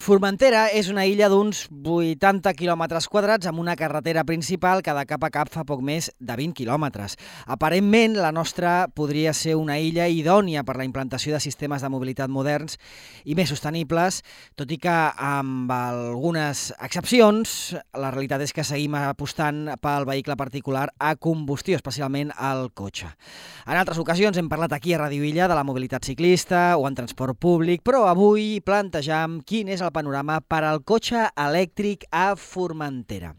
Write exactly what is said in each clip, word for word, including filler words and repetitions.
Formentera és una illa d'uns vuitanta quilòmetres quadrats amb una carretera principal que de cap a cap fa poc més de vint quilòmetres. Aparentment, la nostra podria ser una illa idònia per la implantació de sistemes de mobilitat moderns i més sostenibles, tot i que amb algunes excepcions, la realitat és que seguim apostant pel vehicle particular a combustió, especialment el cotxe. En altres ocasions hem parlat aquí a Ràdio Illa de la mobilitat ciclista o en transport públic, però avui plantejam quin és el panorama per al cotxe elèctric a Formentera.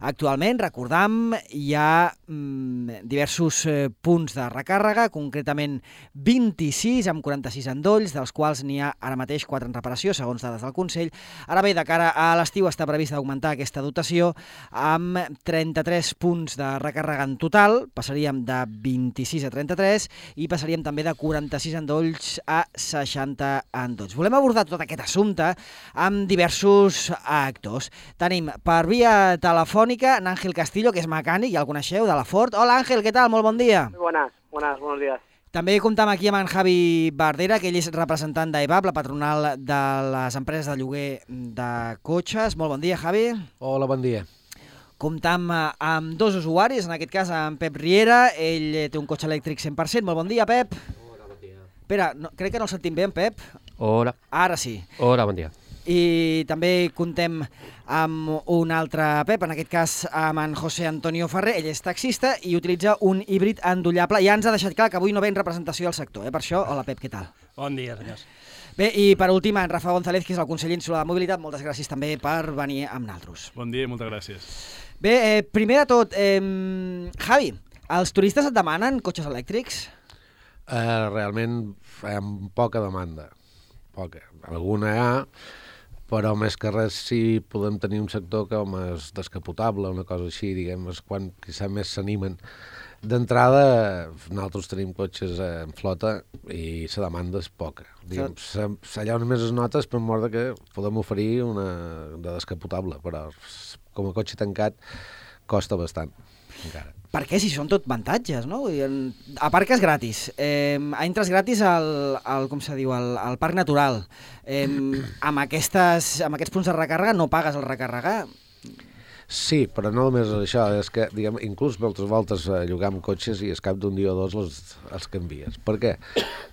Actualment, recordam, hi ha mm, diversos eh, punts de recàrrega, concretament vint-i-sis amb quaranta-sis endolls, dels quals n'hi ha ara mateix quatre en reparació, segons dades del Consell. Ara bé, de cara a l'estiu està previst augmentar aquesta dotació amb trenta-tres punts de recàrrega en total, passaríem de vint-i-sis a trenta-tres i passaríem també de quaranta-sis endolls a seixanta endolls. Volem abordar tot aquest assumpte amb diversos actors. Tenim per via telefònica en Ángel Castillo, que és mecànic, ja el coneixeu, de la Ford. Hola Ángel, què tal? Molt bon dia. Muy buenas, buenas, buenos días. També comptam aquí amb en Javi Bardera, que ell és representant d'E V A P, la patronal de les empreses de lloguer de cotxes. Molt bon dia, Javi. Hola, bon dia. Comptam amb dos usuaris, en aquest cas amb Pep Riera, ell té un cotxe elèctric cent per cent. Molt bon dia, Pep. Hola, bon dia. Espera, no, crec que no el sentim bé, en Pep. Hola. Ara sí. Hola, bon dia. I també contem amb un altre Pep, en aquest cas amb en José Antonio Ferrer. Ell és taxista i utilitza un híbrid endollable. Ja ens ha deixat clar que avui no ve en representació del sector, eh? Per això, hola Pep, què tal? Bon dia, senyors. Bé, i per últim, en Rafa González, que és el conseller insular de mobilitat. Moltes gràcies també per venir amb nosaltres. Bon dia i moltes gràcies. Bé, eh, primer de tot, eh, Javi, els turistes et demanen cotxes elèctrics? Uh, realment amb poca demanda. Poca. Alguna hi ha, però més que res sí podem tenir un sector com és descapotable, una cosa així, diguem, és quan quizà més s'animen. D'entrada, nosaltres tenim cotxes en flota i la demanda és poca. Diguem, allà on més es nota és per mort que podem oferir una de descapotable, però com a cotxe tancat costa bastant, encara. Per què? Si són tot avantatges, no? Aparques gratis, eh, entres gratis al, al com se diu, al, al parc natural. Eh, amb, aquestes, amb aquests punts de recàrrega no pagues el recarregar. Sí, però no només això, és que, diguem, inclús moltes voltes llogam cotxes i al cap d'un dia o dos els, els canvies. Per què?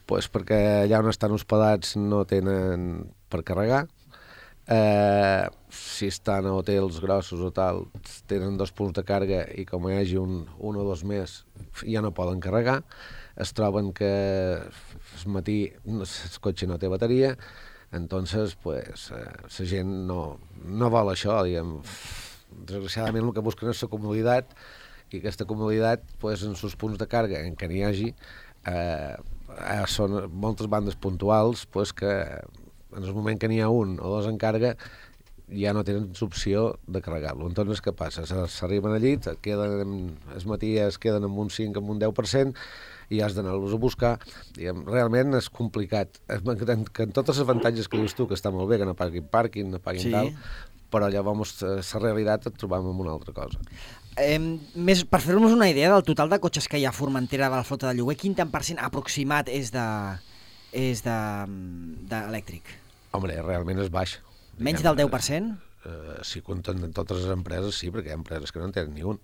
Pues perquè allà on estan hospedats no tenen per carregar. Eh, si estan a hotels grossos o tal, tenen dos punts de càrrega i com hi hagi un, un o dos més ja no poden carregar, es troben que al matí el cotxe no té bateria, entonces pues, eh, la gent no, no vol això, diguem. Desgraciadament el que busquen és la comoditat i aquesta comoditat pues, en els punts de càrrega en què n'hi hagi eh, són moltes bandes puntuals pues, que en el moment que n'hi ha un o dos en càrrega ja no tenen opció de carregar-lo. Entonces, què passa? S'arriben al llit, queden, el matí es queden amb un cinc, amb un deu per cent i has d'anar-los a buscar. Diguem, realment és complicat. Que en totes les avantatges que dius tu, que està molt bé, que no paguin pàrquing, no paguin sí. Tal, però llavors la realitat et trobam amb una altra cosa. Eh, més, per fer-nos una idea del total de cotxes que hi ha a Formentera de la flota de lloguer, quin tant per cent aproximat és de és de, de elèctric? Home, realment és baix. Menys del deu per cent? Eh, si compten totes les empreses, sí, perquè hi ha empreses que no en tenen ni un.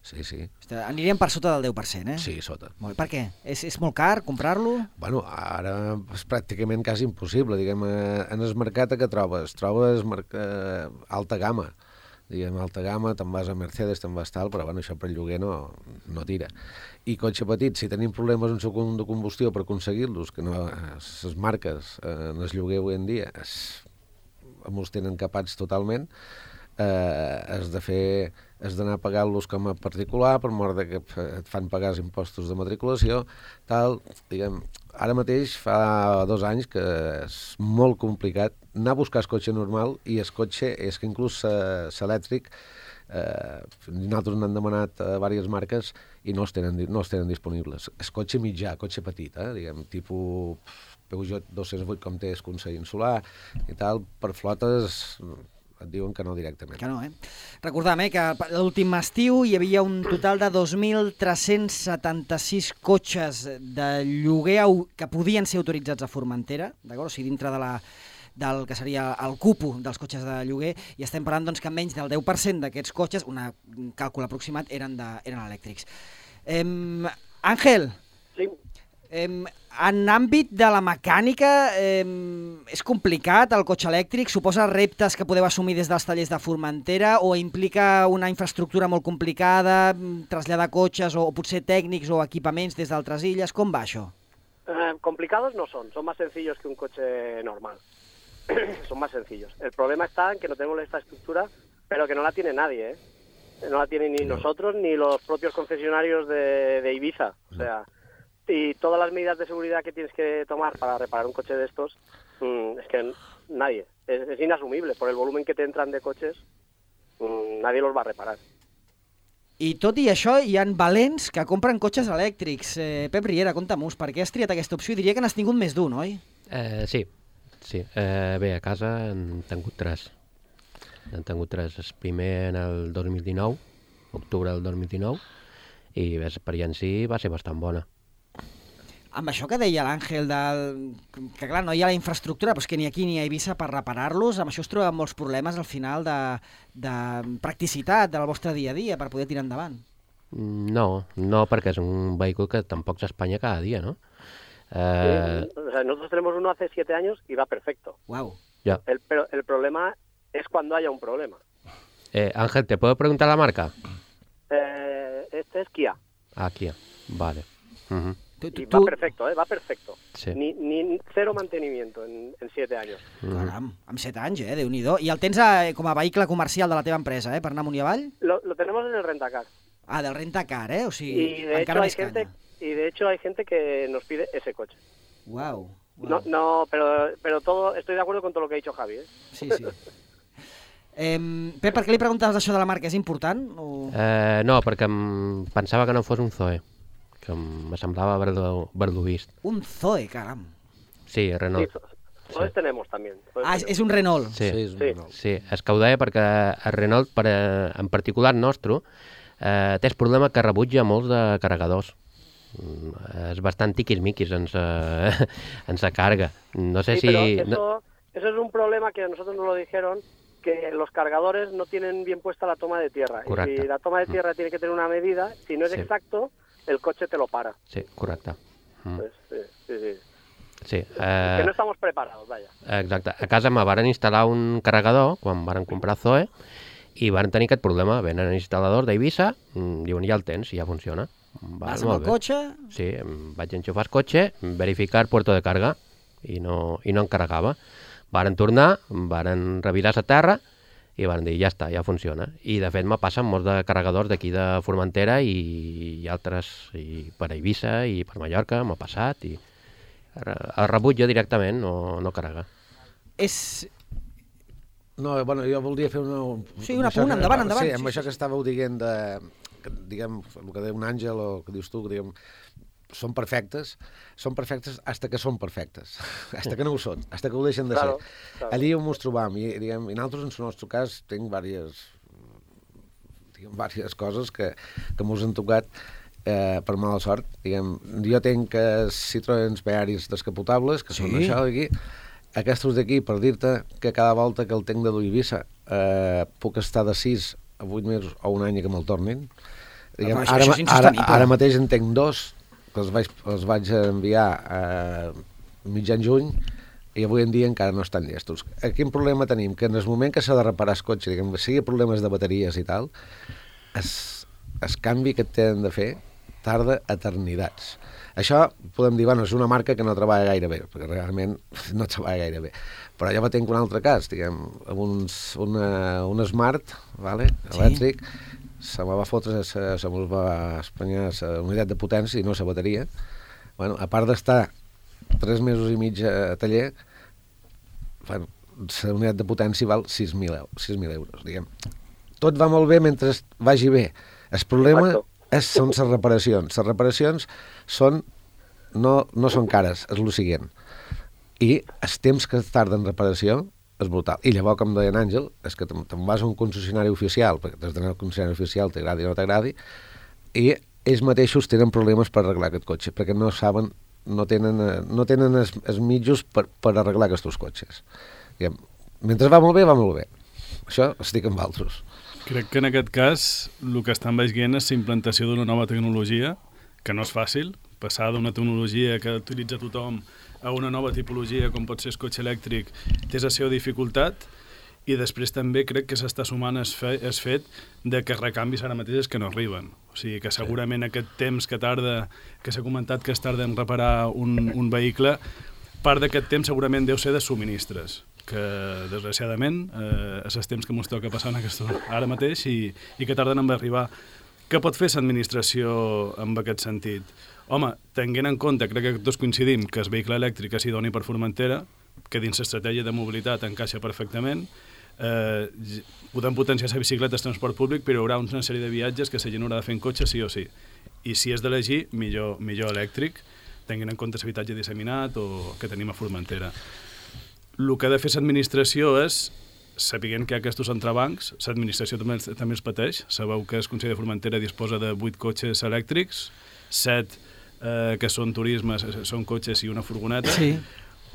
Sí, sí. Aniríem per sota del deu per cent, eh? Sí, sota. Molt, per què? És, és molt car comprar-lo? Bueno, ara és pràcticament quasi impossible. Diguem, en el mercat que trobes? Trobes eh, alta gamma. Diguem, alta gamma, te'n vas a Mercedes, te'n vas tal, però bueno, això per lloguer no, no tira. I cotxe petit, si tenim problemes en segon de combustió per aconseguir-los, que no, les marques eh, en el lloguer avui en dia es, els tenen capats totalment, eh, has de fer, has d'anar a pagar-los com a particular, per mort de que et fan pagar els impostos de matriculació, tal, diguem, ara mateix fa dos anys que és molt complicat anar a buscar el cotxe normal i el cotxe, és que inclús l'elèctric, eh, nosaltres n'han demanat a diverses marques i no els tenen, no els tenen disponibles. El cotxe mitjà, cotxe petit, eh, diguem, tipus Peugeot dos-cents vuit com té el Consell Insular i tal, per flotes et diuen que no directament. Que no, eh? Recordam, eh, que l'últim estiu hi havia un total de dos mil tres-cents setanta-sis cotxes de lloguer que podien ser autoritzats a Formentera, d'acord? O sigui, dintre de la del que seria el cupo dels cotxes de lloguer, i estem parlant doncs, que menys del deu per cent d'aquests cotxes, una, un càlcul aproximat, eren, de, eren elèctrics. Eh, Àngel, Sí. eh, en àmbit de la mecànica, eh, és complicat el cotxe elèctric? Suposa reptes que podeu assumir des dels tallers de Formentera o implica una infraestructura molt complicada, traslladar cotxes o, o potser tècnics o equipaments des d'altres illes? Com va això? Eh, complicados no son, son más sencillos que un coche normal. Son más sencillos. El problema está en que no tenemos la infraestructura, pero que no la tiene nadie, ¿eh? No la tienen ni no. nosotros ni los propios concesionarios de, de Ibiza. O sea, y todas las medidas de seguridad que tienes que tomar para reparar un coche de estos, mmm, es que nadie. Es, es inasumible. Por el volumen que te entran de coches, mmm, nadie los va a reparar. I tot i això, hi ha valents que compren cotxes elèctrics. Eh, Pep Riera, conta-m'ho, per què has triat aquesta opció? I diria que n'has tingut més d'un, oi? Eh, sí, sí. Eh, bé, a casa han tingut tres. Han tingut tres. El primer en el dos mil dinou, octubre del dos mil dinou, i l'experiència va ser bastant bona. Amb això que deia l'Àngel, del... que clar, no hi ha la infraestructura, però és que ni aquí ni a Eivissa per reparar-los, amb això es troben molts problemes al final de, de practicitat del vostre dia a dia per poder tirar endavant. No, no, perquè és un vehículo que tampoc s'espanya cada dia, ¿no? Eh... Sí, o sea, nosotros tenemos uno hace siete años y va perfecto. Wow. Ya. El, pero el problema es cuando haya un problema. Eh, Ángel, ¿te puedo preguntar la marca? Eh, este es Kia. Ah, Kia, vale. Uh-huh. Tu, tu, y va tu... perfecto, ¿eh? Va perfecto. Sí. Ni, ni cero mantenimiento en, en siete años. Caram, amb set anys, eh? Déu-n'hi-do. I el tens a, com a vehicle comercial de la teva empresa, eh? Per anar amunt i avall? Lo, lo tenemos en el rentacar. Ah, del rentacar, eh? O sigui, y de encara hecho més hay gente, canya. Y de hecho hay gente que nos pide ese coche. Wow. wow. No, no, pero, pero todo, estoy de acuerdo con todo lo que ha dicho Javi, ¿eh? Sí, sí. Eh, Pep, per què li preguntaves això de la marca? És important? O... Eh, no, perquè em pensava que no fos un Zoe, que em semblava haver-lo haver-lo vist. Un Zoe, caram. Sí, Renault. Sí, Zoe sí. tenemos también. Zoe ah, tenemos. És un Renault. Sí, sí, és un sí. Renault. Sí, és que ho deia perquè el Renault, per, en particular nostre, eh, té el problema que rebutja molts de carregadors. És bastant tiquis-miquis en sa, en sa carga. No sé sí, si... Pero eso, no... eso es un problema que a nosotros nos lo dijeron, que los cargadores no tienen bien puesta la toma de tierra. Correcte. Y si la toma de tierra mm. tiene que tener una medida, si no es sí. exacto, el coche te lo para. Sí, correcte. Mm. Pues, sí, sí, sí. Sí, eh... que no estamos preparados, vaya. Exacte. A casa me varen instal·lar un carregador quan varen comprar Zoe i varen tenir aquest problema. Venen instal·ladors d'Eivissa, diuen ja el tens i ja funciona. Va, Vas amb el cotxe? Sí, vaig enxufar el cotxe, verificar el puerto de carga i no, i no en carregava. Varen tornar, varen revisar la terra i van dir, ja està, ja funciona. I de fet me passen molts de carregadors d'aquí de Formentera i, i altres, i per Eivissa i per Mallorca m'ha passat i el rebut jo directament no, no carrega. És... No, bueno, jo voldria fer una... Sí, una punt, endavant, endavant. Sí, amb sí, això sí. que estàveu dient de... Que, diguem, el que diu un Àngel o que dius tu, que diguem, són perfectes, són perfectes hasta que són perfectes, hasta que no ho són, hasta que ho deixen de claro, ser. Claro. Allí on ens trobam, i, diguem, i nosaltres, en el nostre cas, tinc diverses, diguem, diverses coses que, que mos han tocat eh, per mala sort. Diguem, jo tinc eh, Citroën Bearis descapotables, que sí. són això d'aquí. Aquests d'aquí, per dir-te que cada volta que el tinc de dur a Eivissa eh, puc estar de sis a vuit mesos o un any que me'l tornin. Diguem, això, ara, això ara, ara mateix en tinc dos, que els vaig, els vaig enviar a mitjan juny i avui en dia encara no estan llestos. Quin problema tenim? Que en el moment que s'ha de reparar el cotxe, diguem, sigui problemes de bateries i tal, el, el canvi que tenen de fer tarda eternidats. Això podem dir, bueno, és una marca que no treballa gaire bé, perquè realment no treballa gaire bé. Però jo tinc un altre cas, diguem, amb uns, una, un Smart, vale, elèctric, sí. se me va fotre, se, se me va espanyar la unitat de potència i no la bateria. Bueno, a part d'estar tres mesos i mig a taller, bueno, la unitat de potència val sis mil euros, diguem. Tot va molt bé mentre vagi bé. El problema... Exacto. És, són les reparacions. Les reparacions són, no, no són cares, és el següent. I el temps que tarda en reparació és brutal. I llavors, com deia en Àngel, és que te'n vas a un concessionari oficial, perquè des d'anar al concessionari oficial t'agradi o no t'agradi, i ells mateixos tenen problemes per arreglar aquest cotxe, perquè no saben, no tenen, no tenen els, els mitjos per, per arreglar aquests cotxes. I, mentre va molt bé, va molt bé. Això estic amb altres. Crec que en aquest cas el que estan veient és la implantació d'una nova tecnologia, que no és fàcil, passar d'una tecnologia que utilitza tothom a una nova tipologia com pot ser el cotxe elèctric té la seva dificultat, i després també crec que s'està sumant el fe, fet de que recanvis ara mateix que no arriben. O sigui que segurament aquest temps que tarda, que s'ha comentat que es tarda en reparar un, un vehicle, part d'aquest temps segurament deu ser de subministres, que desgraciadament eh, és el temps que ens toca passar en aquesta, ara mateix i, i que tarden en arribar. Què pot fer l'administració en aquest sentit? Home, tenint en compte, crec que tots coincidim, que el vehicle elèctric és idoni per Formentera, que dins l'estratègia de mobilitat encaixa perfectament, eh, podem potenciar la bicicleta al transport públic, però hi haurà una sèrie de viatges que la gent haurà de fer en cotxe sí o sí. I si és d'elegir, millor, millor elèctric, tenint en compte l'habitatge disseminat o que tenim a Formentera. El que ha de fer l'administració és, sapiguent que hi ha aquests entrebancs, l'administració també, també els pateix. Sabeu que el Consell de Formentera disposa de vuit cotxes elèctrics, set eh, que són turismes, són cotxes i una furgoneta. Sí.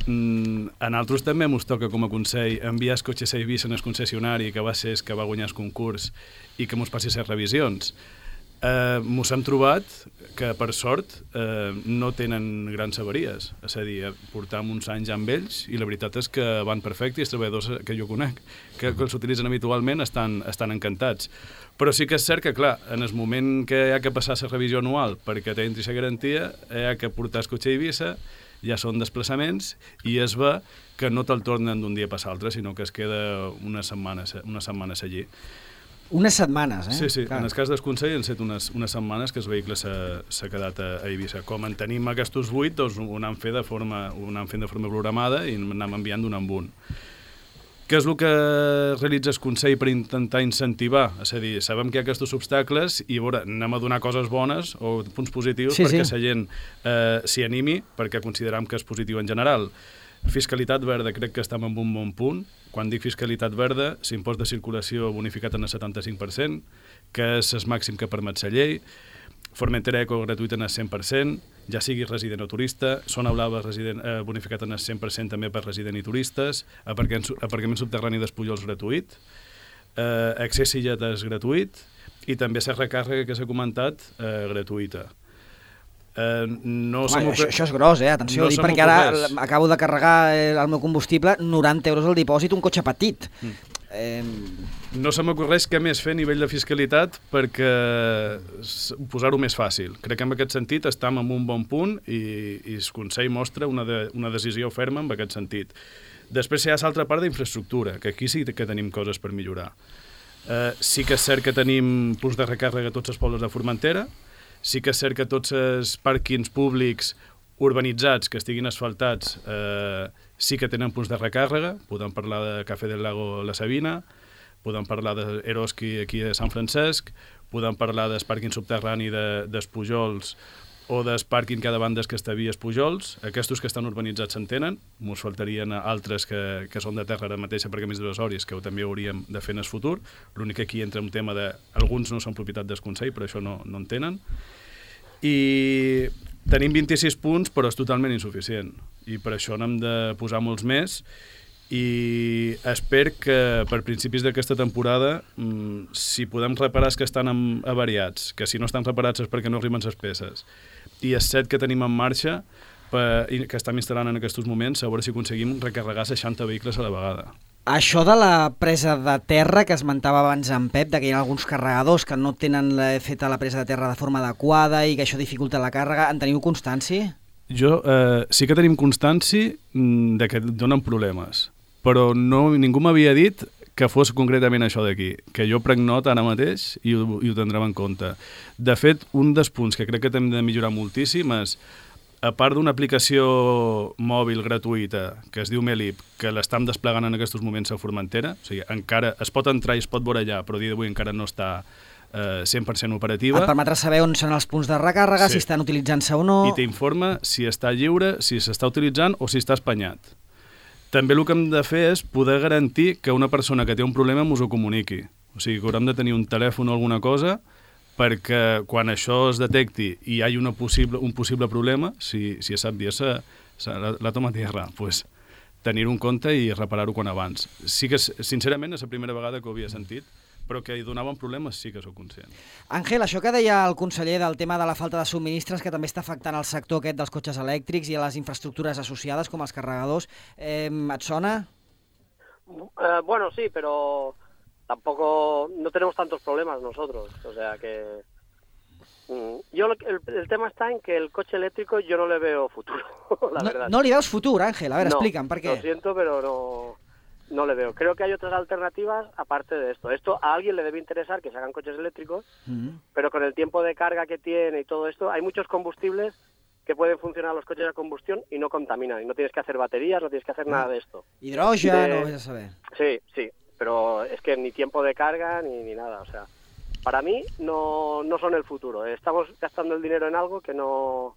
Mm, en altres també ens toca com a Consell enviar el cotxe a Eivissa en el concessionari, que va ser el que va guanyar el concurs, i que ens passi les revisions. Eh, ens hem trobat que, per sort, eh, no tenen grans avaries. És a dir, portam uns anys amb ells i la veritat és que van perfecte i els treballadors que jo conec, que, que els utilitzen habitualment, estan, estan encantats. Però sí que és cert que, clar, en el moment que hi ha que passar la revisió anual perquè t'entri la garantia, hi ha que portar el cotxe a Eivissa, ja són desplaçaments, i es ve que no te'l tornen d'un dia per l'altre, sinó que es queda unes setmanes, unes setmanes allí. Unes setmanes, eh? Sí, sí. Clar. En el cas del Consell han set unes, unes setmanes que el vehicle s'ha quedat a, a Eivissa. Com en tenim aquests vuit, doncs ho anem fent de forma, ho anem fent de forma programada i anem enviant d'un en un. Què és el que realitza el Consell per intentar incentivar? És a dir, sabem que hi ha aquests obstacles i a veure, anem a donar coses bones o punts positius sí, perquè sí. la gent eh, s'hi animi, perquè consideram que és positiu en general. Fiscalitat verda, crec que estem en un bon punt. Quan dic fiscalitat verda, l'impost de circulació bonificat en el setanta-cinc per cent, que és el màxim que permet la llei. Formentera Eco gratuïta en el cent per cent, ja sigui resident o turista. Zona Blava resident, eh, bonificat en el cent per cent també per resident i turistes. Aparcament, aparcament subterrani d'Espullols gratuït. Eh, accés i lletes gratuït. I també la recàrrega que s'ha comentat, eh, gratuïta. Uh, no Home, això, això és gros, eh? Atenció, no dic perquè ara acabo de carregar el meu combustible, noranta euros al dipòsit, un cotxe petit. Mm. Eh... No se m'ocorreix què més fer a nivell de fiscalitat perquè posar-ho més fàcil. Crec que en aquest sentit estem en un bon punt i, i el Consell mostra una, de, una decisió ferma en aquest sentit. Després hi ha l'altra part d'infraestructura, que aquí sí que tenim coses per millorar. Uh, sí que és cert que tenim punts de recàrrega a tots els pobles de Formentera. Sí que és cert que tots els pàrquings públics urbanitzats que estiguin asfaltats eh, sí que tenen punts de recàrrega. Podem parlar de Cafè del Lago La Sabina, podem parlar d'Eroski aquí a Sant Francesc, podem parlar del pàrquing subterrani d'Espujols o del pàrquing que ha davant del que estabia Espujols. Aquests que estan urbanitzats s'entenen, ens faltarien altres que, que són de terra ara mateixa perquè més divisoris, que també hauríem de fer en el futur. L'únic que aquí entra un tema de... Alguns no són propietat del Consell, però això no, no en tenen. I tenim vint-i-sis punts, però és totalment insuficient. I per això n'hem de posar molts més. I espero que per principis d'aquesta temporada, mmm, si podem reparar els que estan avariats, que si no estan reparats és perquè no arriben les peces, i els set que tenim en marxa, per, que estem instal·lant en aquests moments, a veure si aconseguim recarregar seixanta vehicles a la vegada. Això de la presa de terra que esmentava abans en Pep, que hi ha alguns carregadors que no tenen feta la presa de terra de forma adequada i que això dificulta la càrrega, en teniu constància? Jo eh, sí que tenim constància de que donen problemes, però no, ningú m'havia dit que fos concretament això d'aquí, que jo prenc nota ara mateix i ho, i ho tindrem en compte. De fet, un dels punts que crec que hem de millorar moltíssim és, a part d'una aplicació mòbil gratuïta que es diu Melip, que l'estem desplegant en aquests moments a Formentera, o sigui, encara es pot entrar i es pot veure allà, però a dia d'avui encara no està eh, cent per cent operativa. Et permetrà saber on són els punts de recàrrega, sí. Si estan utilitzant-se o no... I t'informa si està lliure, si s'està utilitzant o si està espanyat. També el que hem de fer és poder garantir que una persona que té un problema ens ho comuniqui. O sigui, que haurem de tenir un telèfon o alguna cosa perquè quan això es detecti i hi ha una possible, un possible problema, si, si es sap dir, se, se, la, la toma tierra, pues, tenir-ho en compte i reparar-ho quan abans. Sí que, sincerament, és la primera vegada que ho havia sentit, però que hi donaven problemes sí que sóc conscient. Àngel, això que deia el conseller del tema de la falta de subministres, que també està afectant el sector aquest dels cotxes elèctrics i a les infraestructures associades, com els carregadors, eh, et sona? Eh, bueno, sí, pero tampoco no tenemos tantos problemas nosotros, o sea que mm, yo lo, el, el tema está en que el coche eléctrico yo no le veo futuro, la no, verdad. No li veus futur, Àngel? A veure, no, explica'm, per què? Lo siento, pero no, no le veo. Creo que hay otras alternativas aparte de esto. Esto a alguien le debe interesar que se hagan coches eléctricos, mm-hmm. pero con el tiempo de carga que tiene y todo esto, hay muchos combustibles que pueden funcionar los coches a combustión y no contaminan. Y no tienes que hacer baterías, no tienes que hacer nada de esto. Hidrógeno, de... no vas a saber. Sí, sí, pero es que ni tiempo de carga ni, ni nada. O sea, para mí no, no son el futuro. Estamos gastando el dinero en algo que no,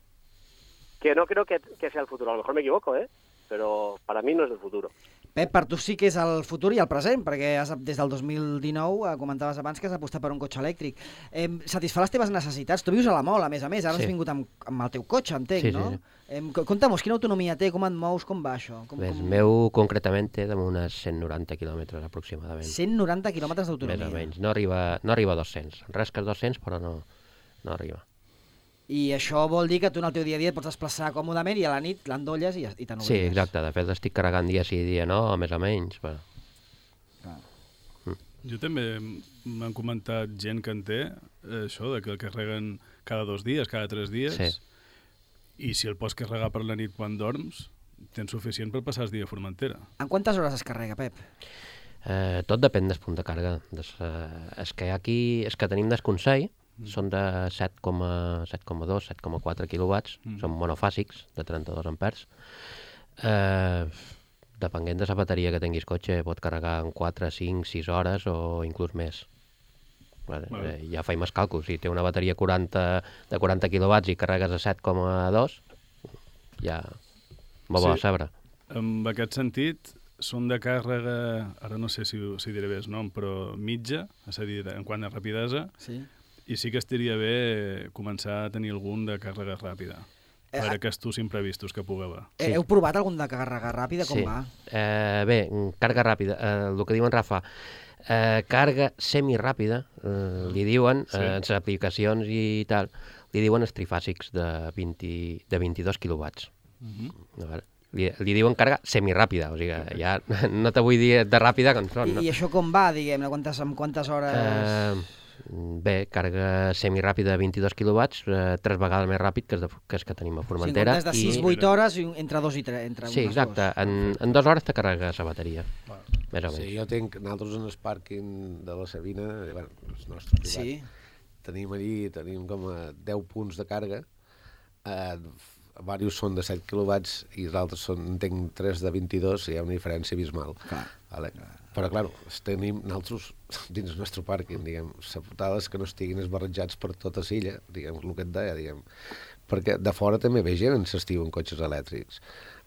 que no creo que, que sea el futuro. A lo mejor me equivoco, ¿eh? Pero para mí no es el futuro. Pep, per tu sí que és el futur i el present, perquè has, des del dos mil dinou eh, comentaves abans que has apostat per un cotxe elèctric. Eh, satisfà les teves necessitats? Tu vius a la Mol, a més a més, ara sí. Has vingut amb, amb el teu cotxe, entenc, sí, no? Sí, sí. Eh, Conta'm, quina autonomia té, com et mous, com va això? Com, Bé, com... El meu concretament té d'unes cent noranta quilòmetres aproximadament. cent noranta quilòmetres d'autonomia? Més o menys, no arriba, no arriba a dos-cents, res que dos-cents, però no, no arriba. I això vol dir que tu en el teu dia a dia et pots desplaçar còmodament i a la nit l'endolles i, i te n'oblides. Sí, exacte. De fet, estic carregant dia sí, dia no, més o menys. Però... Ah. Mm. Jo també m'han comentat gent que en té això, de que el carreguen cada dos dies, cada tres dies, sí. I si el pots carregar per la nit quan dorms, tens suficient per passar el dia a Formentera. En quantes hores es carrega, Pep? Eh, tot depèn del punt de càrrega. Des, eh, és que aquí, és que tenim desconsell, Mm. són de set coma dos, set coma quatre quilowatts, mm. són monofàsics, de trenta-dos ampers. Eh, depenent de la bateria que tinguis cotxe, pot carregar en quatre, cinc, sis hores o inclús més. Vale, vale. Eh, ja faig més càlculs. Si té una bateria quaranta, de quaranta quilowatts i carregues a set coma dos, ja m'ho sí. va a saber. En aquest sentit, són de càrrega, ara no sé si, si diré bé el nom, però mitja, és a dir, en quant a rapidesa, sí. I sí que estaria bé començar a tenir algun de càrrega ràpida, per eh, aquests imprevistos que pugui haver. Sí. Heu provat algun de càrrega ràpida? Com sí. va? Eh, bé, càrrega ràpida, eh, el que diuen Rafa, eh, càrrega semiràpida, eh, li diuen, sí. eh, en les aplicacions i tal, li diuen els trifàsics de, vint, de vint-i-dos quilowatts. Uh-huh. Vale. Li, li diuen càrrega semiràpida, o sigui, ja no te vull dir de ràpida com són. I, no? I això com va, diguem-ne? Quantes, amb quantes hores... Eh, Bé, càrrega semiràpida de vint-i-dos quilowatts, eh, tres vegades més ràpid que, de, que és que tenim a Formentera. Sí, en comptes de sis a vuit hores, entre dos i tres. Entre sí, exacte. En, en dues hores te carregues la bateria. Wow. Més o menys. Sí, jo tinc, nosaltres en el pàrquing de la Sabina, bueno, el nostre privat, sí. tenim allí, tenim com a deu punts de càrrega, eh, diversos són de set quilowatts i els altres són, en tinc tres de vint-i-dos, i hi ha una diferència abismal. Clar. Vale. Però, clar, tenim nosaltres dins el nostre pàrquing, diguem, la putada és que no estiguin esbarrejats per tota l'illa, diguem, el que et deia, diguem, perquè de fora també ve gent en s'estiu en cotxes elèctrics.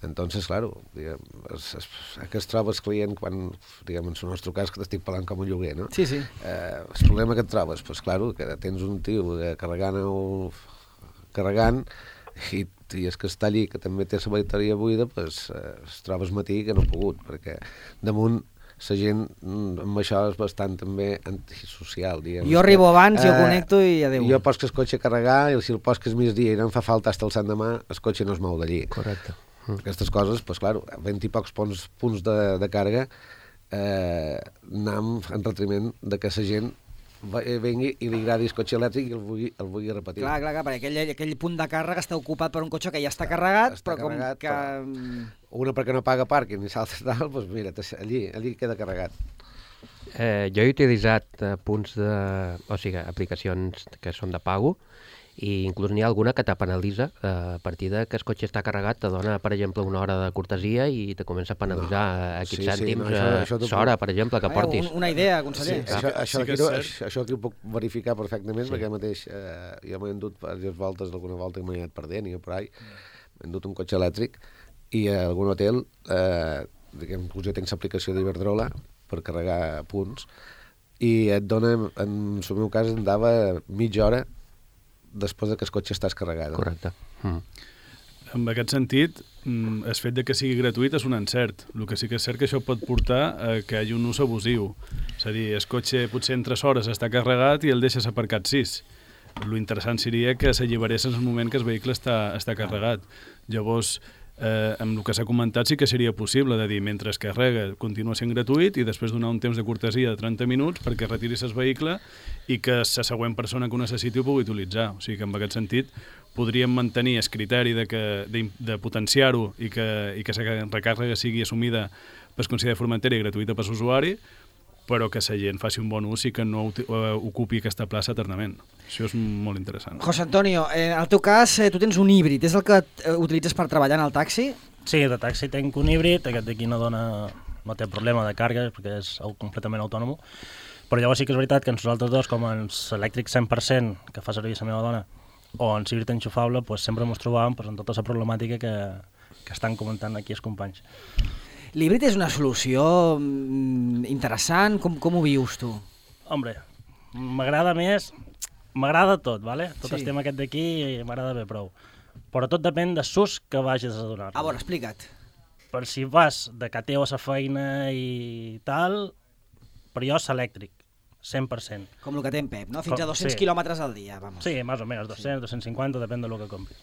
Entonces, claro, diguem, es, es, que es troba el client quan, diguem, en el nostre cas, que t'estic parlant com un lloguer, no? Sí, sí. Eh, el problema que et trobes, pues, claro, que tens un tio carregant, o, carregant i, i és que està allí, que també té la bateria buida, pues, eh, es trobes matí que no ha pogut, perquè damunt la gent amb això és bastant també antisocial, diguem. Jo arribo abans, eh, jo connecto i adéu. Jo poso el cotxe a carregar i si el poso que és migdia i no em fa falta fins el sant demà, el cotxe no es mou d'allí. Correcte. Mm. Aquestes coses, pues, claro, vint i pocs punts, punts de, de càrrega, eh, anem en retriment de que la gent vengui i li agradi el cotxe elèctric i el vulgui, el vulgui repetir. Clar, clar, clar, perquè aquell, aquell punt de càrrega està ocupat per un cotxe que ja està carregat, està però carregat, com que... Però una perquè no paga pàrquing i l'altra tal, doncs mira, allí, allí queda carregat. Eh, jo he utilitzat eh, punts de... o sigui, aplicacions que són de pago, i inclús n'hi ha alguna que te penalitza eh, a partir de que el cotxe està carregat, te dona, per exemple, una hora de cortesia i te comença a penalitzar no. aquests sí, cèntims sí, no, això, això l'hora, per exemple, que portis. Una idea, conseller. Sí, això, això, sí aquí, això, això aquí ho puc verificar perfectament, sí. perquè mateix eh, jo m'he endut diverses voltes, alguna volta que m'he anat perdent i per ahí, m'he endut un cotxe elèctric i a algun hotel, eh, diguem, jo tinc l'aplicació d'Iberdrola per carregar punts i et dona, en el meu cas, em dava mitja hora després que el cotxe estàs carregat. Correcte. Mm. En aquest sentit, el fet de que sigui gratuït és un encert. El que sí que és cert que això pot portar a que hi hagi un ús abusiu. És a dir, el cotxe potser en tres hores està carregat i el deixes aparcat sis. Lo interessant seria que s'alliberés en el moment que el vehicle està, està carregat. Llavors, eh, amb el que s'ha comentat sí que seria possible de dir, mentre es carrega continua sent gratuït i després donar un temps de cortesia de trenta minuts perquè retiris el vehicle i que la següent persona que ho necessiti ho pugui utilitzar. O sigui que en aquest sentit podríem mantenir el criteri de, que, de, de potenciar-ho i que, i que la recàrrega sigui assumida per Consell de Formentera i gratuïta per l'usuari, però que la gent faci un bon ús i que no ocupi aquesta plaça eternament. Això és molt interessant. José Antonio, en el teu cas, tu tens un híbrid, és el que utilitzes per treballar en el taxi? Sí, de taxi tenc un híbrid, aquest d'aquí no dona, no té problema de càrrega perquè és completament autònom, però llavors sí que és veritat que nosaltres dos, com en elèctric cent per cent que fa servir la meva dona, o en híbrid enxufable, pues, sempre ens trobàvem pues, en tota la problemàtica que, que estan comentant aquí els companys. L'híbrid és una solució interessant, com, com ho vius tu? Hombre, m'agrada més, m'agrada tot, ¿vale? Tot Sí. el tema aquest d'aquí m'agrada bé prou. Però tot depèn de l'ús que vagis a donar. A veure, explica't. Per si vas de cateo a la feina i tal, per jo és elèctric, cent per cent. Com el que té en Pep, no? Fins Com- a dos-cents sí. quilòmetres al dia, vamos. Sí, més o menys, dos-cents, dos-cents cinquanta, depèn del que compris.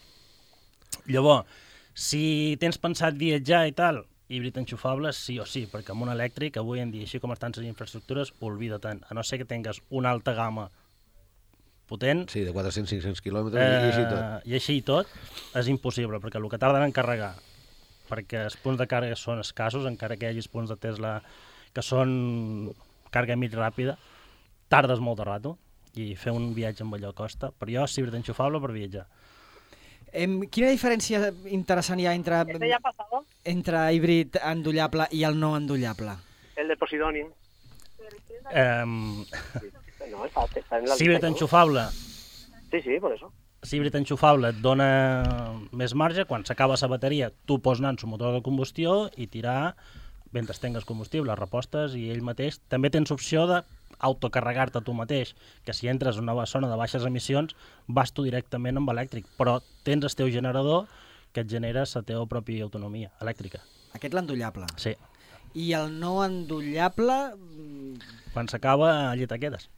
Llavors, si tens pensat viatjar i tal, híbrid enxufable sí o sí, perquè amb un elèctric, avui en dia, així com estan les infraestructures, olvida tant. A no ser que tingues una alta gamma potent, Sí, de quatre-cents a cinc-cents quilòmetres eh... i així tot. eh, i així i tot, és impossible, perquè el que tarden en carregar, perquè els punts de càrrega són escassos, encara que hi hagi els punts de Tesla que són càrrega mig ràpida, tardes molt de rato, i fer un viatge amb allò costa. Per jo, és híbrid enxufable per viatjar. Em, quina diferència interessant hi ha entre, ¿Este ya ha pasado? entre híbrid endollable i el no endollable? El de Posidonia. Eh, No, está, está en la híbrid lista, ¿no? enxufable, Sí, sí, por eso. híbrid enxufable et dona més marge, quan s'acaba la bateria tu pots anar en el motor de combustió i tirar mentre tingues combustible, repostes i ell mateix. També tens opció d'autocarregar-te tu mateix, que si entres en una zona de baixes emissions vas tu directament amb elèctric, però tens el teu generador que et genera la teva pròpia autonomia elèctrica. Aquest l'endollable. Sí, I el no endollable, mm, quan s'acaba allí te quedes.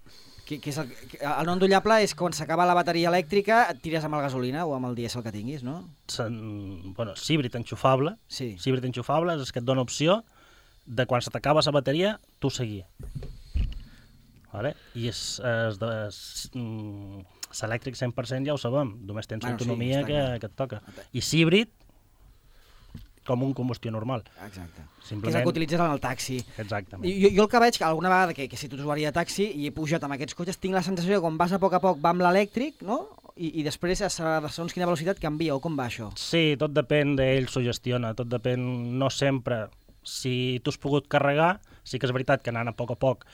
que, que és el, que- el no endollable és quan s'acaba la bateria elèctrica, et tires amb el gasolina o amb el dièsel que tinguis, no? Se'n- Bueno, híbrid enxufable, Sí. híbrid enxufable és el que et dona opció de quan se t'acaba la bateria, tu seguir. Vale? I és, és de, és, mm, l'elèctric cent per cent ja ho sabem, només tens Bueno, sí, autonomia està que, clar. que et toca. I híbrid, com un combustió normal. Exacte. Que és el Simplement, que utilitzes en el taxi. exactament. Jo, jo el que veig, que alguna vegada que, que he sigut usuari de taxi i he pujat amb aquests cotxes, tinc la sensació que quan vas a poc a poc va amb l'elèctric, no? I, i després, a sa- segons quina velocitat, canvia, o com va això? Sí, tot depèn d'ell, s'ho gestiona, tot depèn, no sempre. Si tu has pogut carregar, sí que és veritat que anant a poc a poc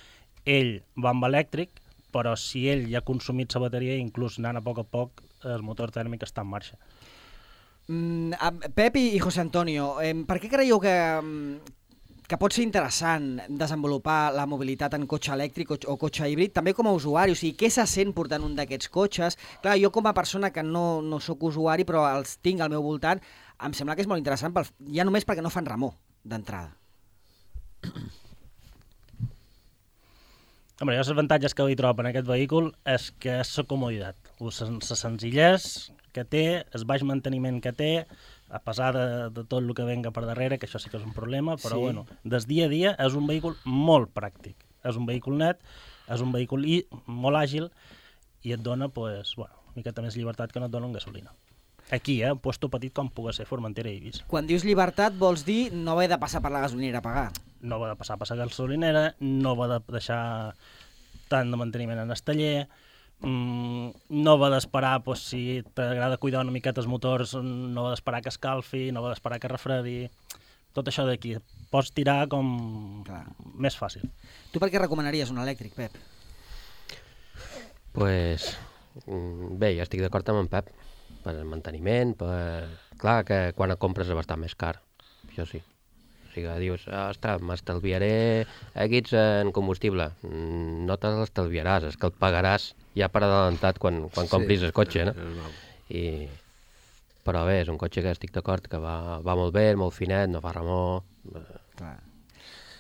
ell va amb elèctric, però si ell ja ha consumit la bateria, inclús anant a poc a poc, el motor tèrmic està en marxa. Mm, a- Pep i, i José Antonio, eh, per què creieu que, mm, que pot ser interessant desenvolupar la mobilitat en cotxe elèctric o, o cotxe híbrid, també com a usuari? O sigui, què se sent portant un d'aquests cotxes? Clar, jo com a persona que no, no sóc usuari, però els tinc al meu voltant, em sembla que és molt interessant, pel, ja només perquè no fan remor d'entrada. Home, jo els avantatges que hi trobo en aquest vehícul és que és la comoditat, la senzillesa que té, el baix manteniment que té, a pesar de, de tot el que venga per darrere, que això sí que és un problema, però Sí. bueno, des dia a dia és un vehícul molt pràctic. És un vehícul net, és un vehícul i, molt àgil i et dona, pues, bueno, una miqueta més llibertat que no et dona un gasolina. Aquí, eh, un puesto petit com pugui ser Formentera i Eivissa. Quan dius llibertat vols dir no haver de passar per la gasolinera a pagar. No va de passar a passar gasolinera, no va de deixar tant de manteniment en el taller, mm, no va d'esperar, pues, si t'agrada cuidar una miqueta els motors, no va d'esperar que escalfi, no va d'esperar que refredi, tot això d'aquí. Pots tirar com Clar. més fàcil. Tu per què recomanaries un elèctric, Pep? Pues, mm, bé, jo estic d'acord amb en Pep. Per el manteniment, per... Clar que quan el compres és bastant més car, això sí. O sigui, dius, ostres, m'estalviaré equips en combustible. Mm, No te l'estalviaràs, és que el pagaràs ja per adelantat quan, quan compris el cotxe, no? I, però bé, és un cotxe que estic d'acord que va, va molt bé, molt finet, no fa remor... Clar.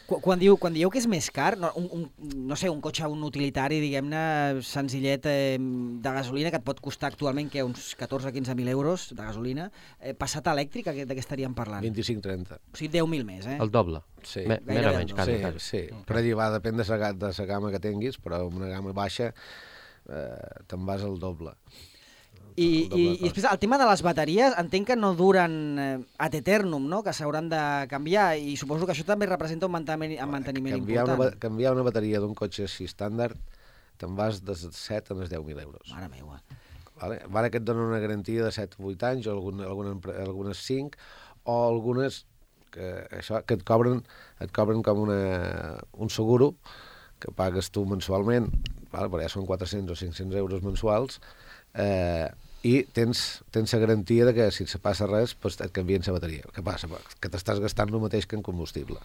Quan diu, quan dieu que és més car, no, un, un, no sé, un cotxe, un utilitari, diguem-ne, senzillet eh, de gasolina, que et pot costar actualment que uns catorze a quinze mil euros de gasolina, eh, passat a elèctric, de què estaríem parlant? vint-i-cinc a trenta. O sigui, deu mil més, eh? El doble. Sí. Me, més o menys, quasi. Sí, quasi. sí. Però allà va, depèn de la, de la gamma que tinguis, però amb una gamma baixa eh, te'n vas al doble. I, i, i després el tema de les bateries entenc que no duren eh, ad eternum, no? Que s'hauran de canviar i suposo que això també representa un manteniment, un manteniment canviar important. Una, canviar una bateria d'un cotxe així estàndard te'n vas de set a deu mil euros. Mare meua. Vale? Vale que et donen una garantia de set o vuit anys, o algun, algunes, algunes cinc, o algunes que, això, que et cobren, et cobren com una, un seguro que pagues tu mensualment, vale? Però ja són quatre-cents o cinc-cents euros mensuals, eh, i tens, tens la garantia de que si se passa res pues et canvien la bateria. Què passa? Que t'estàs gastant el mateix que en combustible.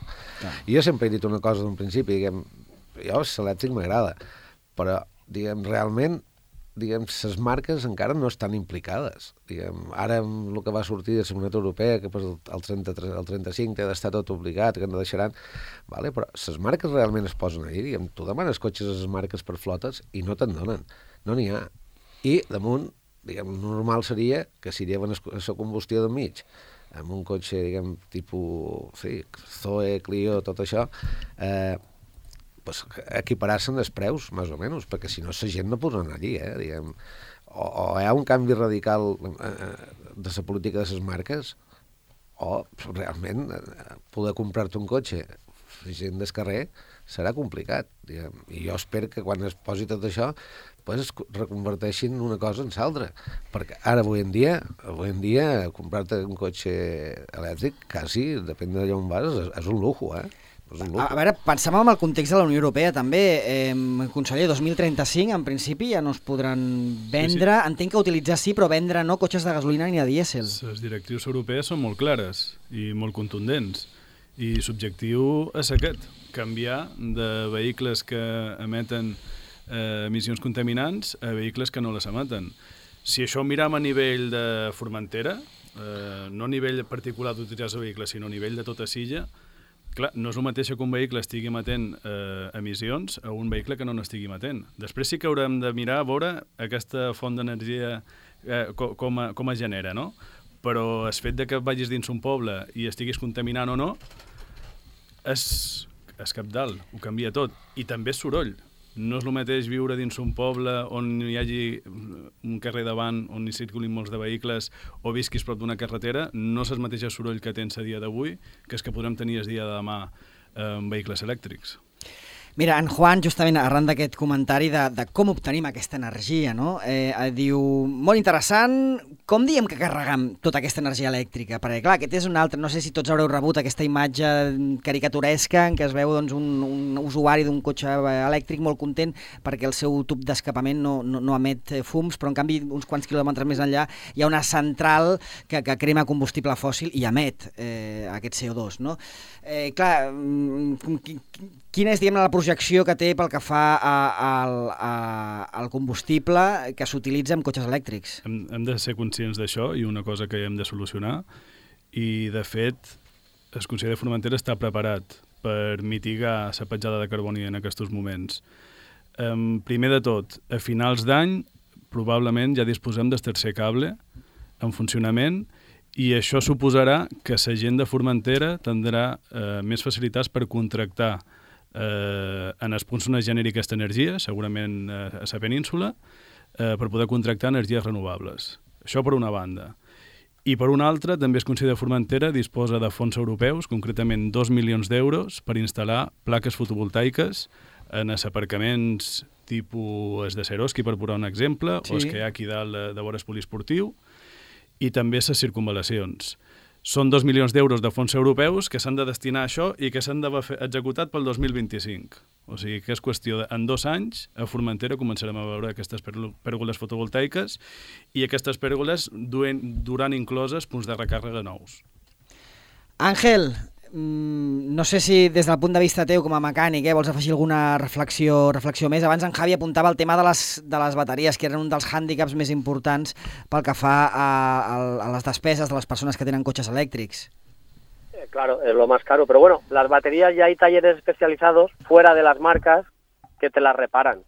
Ah. I jo sempre he dit una cosa d'un principi, diguem, jo l'elèctric m'agrada, però diguem, realment diguem, les marques encara no estan implicades. Diguem, ara amb el que va sortir de la Comunitat Europea, que pues, el, trenta-tres, el trenta-cinc té d'estar tot obligat, que no deixaran, vale? Però les marques realment es posen allà. Diguem, tu demanes cotxes a les marques per flotes i no te'n donen. No n'hi ha. I damunt, diguem, normal seria que si lleven la combustió d'enmig amb un cotxe, diguem, tipus, sí, Zoe, Clio, tot això, eh, pues, equiparar-se'n els preus, més o menys, perquè si no la gent no podrà anar allí, eh, diguem. O, o hi ha un canvi radical eh, de la política de les marques, o realment eh, poder comprar-te un cotxe gent del carrer serà complicat, diguem. I jo espero que quan es posi tot això pues es reconverteixin una cosa en l'altra, perquè ara avui en dia avui en dia comprar-te un cotxe elèctric quasi, depèn d'allà on vas, és, és un lujo, eh? És un lujo. A, a veure, pensem en el context de la Unió Europea també, eh, conseller, dos mil trenta-cinc en principi ja no es podran vendre, sí, sí. Entenc que utilitzar sí, però vendre no cotxes de gasolina ni de dièsel. Les directrius europees són molt clares i molt contundents, i l'objectiu és aquest, canviar de vehicles que emeten eh, emissions contaminants a vehicles que no les emeten. Si això ho miram a nivell de Formentera, eh, no a nivell particular d'utilitzar el vehicle, sinó a nivell de tota Silla, clar, no és el mateix que un vehicle estigui emetent eh, emissions a un vehicle que no n'estigui emetent. Després sí que haurem de mirar a veure aquesta font d'energia eh, com, com, a, com es genera, no? Però el fet de que vagis dins un poble i estiguis contaminant o no és, és cabdal, ho canvia tot. I també és soroll. No és el mateix viure dins un poble on hi hagi un carrer davant on hi circulin molts de vehicles o visquis prop d'una carretera, no és el mateix soroll que tens a dia d'avui que és que podrem tenir el dia de demà amb vehicles elèctrics. Mira, en Juan, justament arran d'aquest comentari de, de com obtenim aquesta energia, no? Eh, diu, molt interessant, com diem que carregam tota aquesta energia elèctrica? Perquè, clar, aquest és un altre, no sé si tots haureu rebut aquesta imatge caricaturesca en què es veu doncs, un, un usuari d'un cotxe elèctric molt content perquè el seu tub d'escapament no, no, no emet fums, però en canvi uns quants quilòmetres més enllà hi ha una central que, que crema combustible fòssil i emet eh, aquest C O dos, no? Eh, clar, quina és, diguem-ne, la projecció que té pel que fa a, a, a, al combustible que s'utilitza en cotxes elèctrics? Hem, hem de ser conscients d'això i una cosa que hem de solucionar, i de fet el Consell de Formentera està preparat per mitigar la petjada de carboni en aquests moments. Um, primer de tot, a finals d'any probablement ja disposem del tercer cable en funcionament, i això suposarà que la gent de Formentera tindrà eh, més facilitats per contractar eh, en els punts on es generi aquesta energia, segurament eh, a la península, eh, per poder contractar energies renovables. Això per una banda. I per una altra, també el Consell de Formentera disposa de fons europeus, concretament dos milions d'euros, per instal·lar plaques fotovoltaiques en els aparcaments tipus es de Seroski, per posar un exemple, sí, o els que hi ha aquí dalt de, de vora el poliesportiu, i també les circunvalacions. Són dos milions d'euros de fons europeus que s'han de destinar a això i que s'han d'haver executat pel dos mil vint-i-cinc. O sigui que és qüestió de, en dos anys, a Formentera començarem a veure aquestes pèrgoles fotovoltaiques i aquestes pèrgoles duen, duran incloses punts de recàrrega nous. Àngel, no sé si des del punt de vista teu com a mecànic eh, vols afegir alguna reflexió reflexió més. Abans en Javi apuntava el tema de les, de les bateries, que eren un dels hàndicaps més importants pel que fa a, a, a les despeses de les persones que tenen cotxes elèctrics. Eh, claro, es lo más caro, pero bueno, las baterías ya hay talleres especializados fuera de las marcas que te las reparan,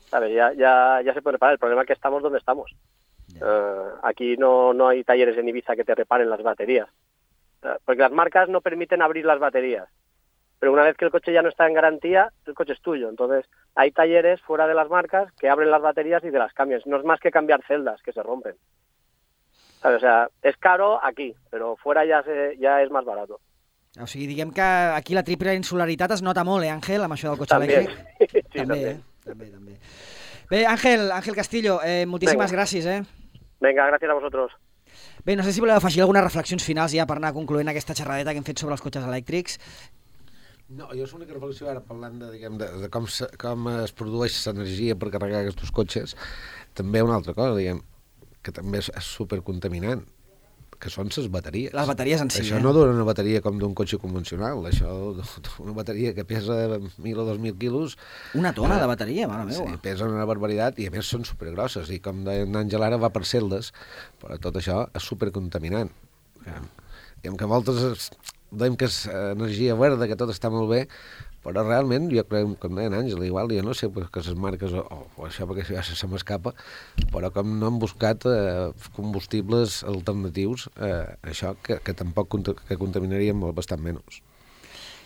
¿sabes? Ya, ya, ya se puede reparar. El problema es que estamos donde estamos. Uh, aquí no, no hay talleres en Ibiza que te reparen las baterías. Porque las marcas no permiten abrir las baterías, pero una vez que el coche ya no está en garantía, el coche es tuyo. Entonces hay talleres fuera de las marcas que abren las baterías y te las cambian. No es más que cambiar celdas que se rompen. ¿Sabes? O sea, es caro aquí, pero fuera ya, se, ya es más barato. O sigui, diguem que aquí la triple insularitat es nota molt, eh, Àngel, amb això del cotxe també. elèctric? Sí, també, també. Eh? també, també. Bé, Àngel, Àngel Castillo, eh, moltíssimes Venga. gràcies, eh? Venga, gracias a vosotros. Bé, no sé si voleu afegir algunes reflexions finals ja per anar concloent aquesta xerradeta que hem fet sobre els cotxes elèctrics. No, jo és l'única reflexió ara parlant de, diguem, de, de com, se, com es produeix l'energia per carregar aquests cotxes. També una altra cosa, diguem, que també és, és supercontaminant, que són les bateries. Les bateries en si, Això eh? no dura una bateria com d'un cotxe convencional, això, una bateria que pesa mil o dos mil quilos... Una tona de bateria, mare meva. Sí, pesen una barbaritat i a més són supergrosses i com deia en Àngel ara va per celdes, però tot això és supercontaminant. Diguem que a voltes dèiem que és energia verda, que tot està molt bé, però realment, jo crec, com deia en Àngel, igual, jo no sé que les marques o, o això perquè ja se m'escapa, però com no han buscat eh, combustibles alternatius, eh, això que, que tampoc que contaminarien molt bastant menys.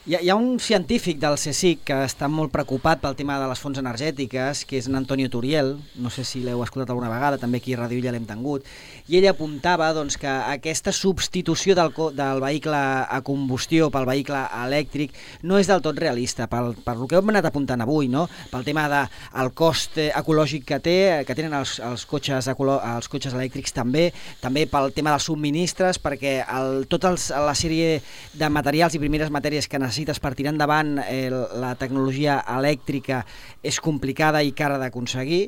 Hi ha, hi ha un científic del CSIC que està molt preocupat pel tema de les fonts energètiques, que és en Antonio Turiel, no sé si l'heu escoltat alguna vegada, també aquí a Ràdio Illa l'hem tingut, i ell apuntava doncs, que aquesta substitució del, del vehicle a combustió pel vehicle elèctric no és del tot realista, pel, per el que hem anat apuntant avui, no? Pel tema del de, cost ecològic que té, que tenen els, els, cotxes, els cotxes elèctrics també, també pel tema dels subministres, perquè el, tota la sèrie de materials i primeres matèries que necessitem necessites per tirar endavant eh, la tecnologia elèctrica és complicada i cara d'aconseguir.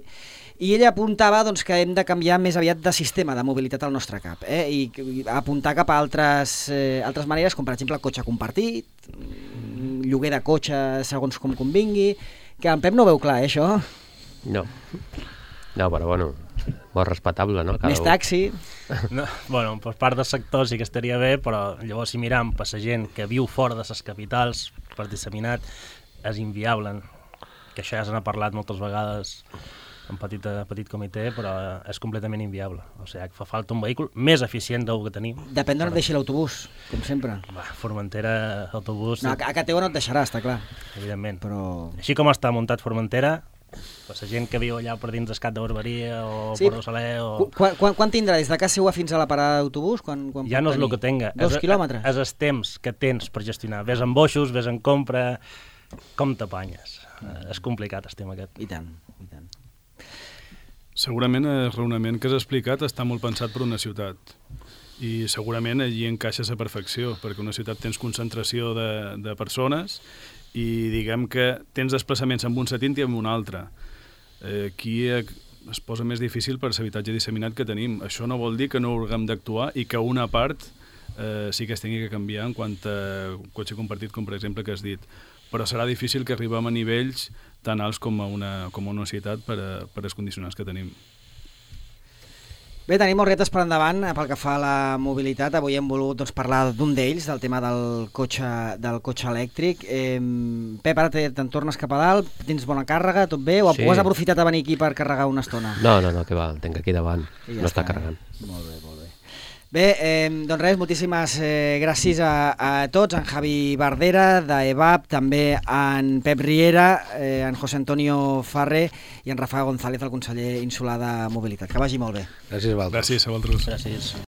I ella apuntava doncs, que hem de canviar més aviat de sistema de mobilitat al nostre cap, eh? I, i apuntar cap a altres, eh, altres maneres, com per exemple el cotxe compartit, lloguer de cotxe segons com convingui, que en Pep no ho veu clar, eh, això? No, no, però bueno, molt respectable, no? Cada Més un. taxi. No, bueno, per part del sector sí que estaria bé, però llavors si miram per la gent que viu fora de les capitals, per disseminat, és inviable, que això ja se n'ha parlat moltes vegades en petit, petit comitè, però és completament inviable. O sigui, fa falta un vehicle més eficient del que tenim. Depèn d'on et deixi l'autobús, com sempre. Va, Formentera, autobús... No, a Cateu no et deixarà, està clar. Evidentment. Però... Així com està muntat Formentera, per la gent que viu allà per dins d'Escat de Barberia o sí. Port de Saler o... Quan, quan, quan tindrà des de casa seva fins a la parada d'autobús? Quan, quan ja no és el que tenga. Dos és, quilòmetres? És el temps que tens per gestionar. Ves en boixos, ves en compra... Com t'apanyes? Mm. És complicat el tema aquest. I tant, i tant. Segurament el raonament que has explicat està molt pensat per una ciutat i segurament allí encaixa a la perfecció, perquè una ciutat tens concentració de, de persones i diguem que tens desplaçaments en un sentit i en un altre. Eh, aquí es posa més difícil per l'habitatge disseminat que tenim. Això no vol dir que no haguem d'actuar i que una part eh, sí que es tingui que canviar en quant a cotxe compartit, com per exemple que has dit. Però serà difícil que arribem a nivells tan alts com a una, com a una ciutat per, a, per als condicionants que tenim. Bé, tenim molts reptes per endavant pel que fa a la mobilitat. Avui hem volgut doncs, parlar d'un d'ells, del tema del cotxe, del cotxe elèctric. Eh, Pep, ara te'n tornes cap a dalt, tens bona càrrega, tot bé? O, sí. O has aprofitat a venir aquí per carregar una estona? No, no, no, que va, el tenc aquí davant, ja no està, està carregant. Eh? Molt bé, molt bé. Bé, eh, doncs res, moltíssimes eh, gràcies a, a tots, en Javi Bardera, d'E V A P, també en Pep Riera, eh, en José Antonio Farré i en Rafa González, el conseller insular de Mobilitat. Que vagi molt bé. Gràcies a vosaltres. Gràcies a vosaltres. Gràcies.